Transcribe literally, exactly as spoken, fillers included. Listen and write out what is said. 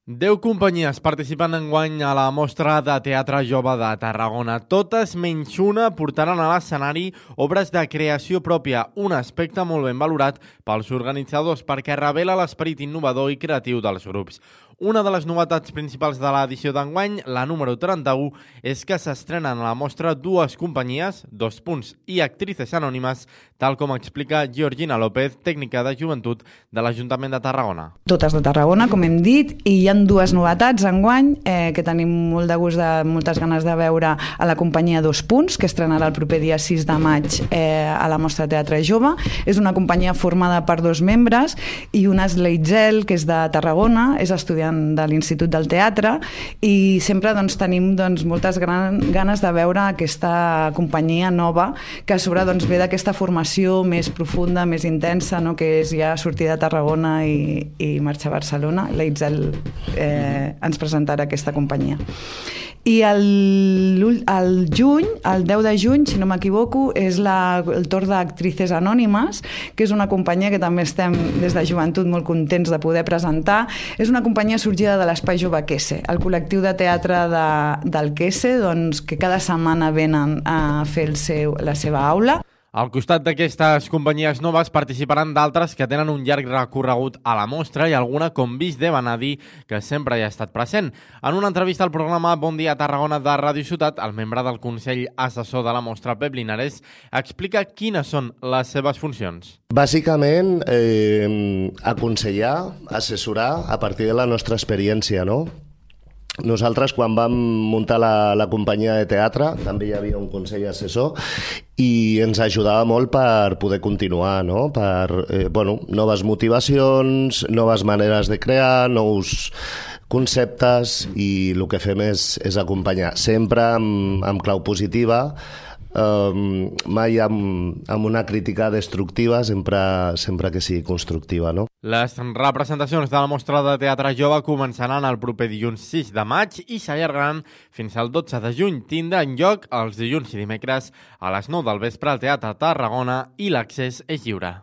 Deu companyies participen enguany a la Mostra de Teatre Jove de Tarragona. Totes menys una portaran a l'escenari obres de creació pròpia, un aspecte molt ben valorat pels organitzadors perquè revela l'esperit innovador i creatiu dels grups. Una de les novetats principals de l'edició d'enguany, la número trenta-u, és que s'estrenen a la mostra dues companyies, dos punts i actrices anònimes, tal com explica Georgina López, tècnica de joventut de l'Ajuntament de Tarragona. Totes de Tarragona, com hem dit, i hi ha dues novetats enguany eh, que tenim molt de gust, de, moltes ganes de veure a la companyia Dos Punts, que estrenarà el proper dia sis de maig eh, a la Mostra de Teatre Jove. És una companyia formada per dos membres i una és l'Eitzel, que és de Tarragona, és estudiant de l'Institut del Teatre, i sempre doncs, tenim doncs, moltes gran, ganes de veure aquesta companyia nova que a sobre doncs, ve d'aquesta formació més profunda, més intensa, no? Que és ja sortir de Tarragona i, i marxar a Barcelona. L'Eitzel eh, ens presentarà aquesta companyia. I el, el juny, el deu de juny, si no m'equivoco, és la, el torn d'Actrices Anònimes, que és una companyia que també estem des de joventut molt contents de poder presentar. És una companyia sorgida de l'Espai Jove Quese, el col·lectiu de teatre de, del Quese, doncs, que cada setmana venen a fer el seu, la seva aula. Al costat d'aquestes companyies noves participaran d'altres que tenen un llarg recorregut a la mostra i alguna com Vis de Vanadi, que sempre hi ha estat present. En una entrevista al programa Bon Dia Tarragona de Ràdio Ciutat, el membre del Consell Assessor de la mostra, Pep Linares, explica quines són les seves funcions. Bàsicament, eh, aconsellar, assessorar a partir de la nostra experiència, no? Nosaltres, quan vam muntar la, la companyia de teatre, també hi havia un consell assessor i ens ajudava molt per poder continuar, no? Per eh, bueno, noves motivacions, noves maneres de crear, nous conceptes, i el que fem és, és acompanyar, sempre amb, amb clau positiva, Um, mai amb, amb una crítica destructiva, sempre, sempre que sigui constructiva, no? Les representacions de la Mostra de Teatre Jove començaran el proper dilluns sis de maig i s'allargaran fins al dotze de juny. Tindran lloc els dilluns i dimecres a les nou del vespre al Teatre Tarragona i l'accés és lliure.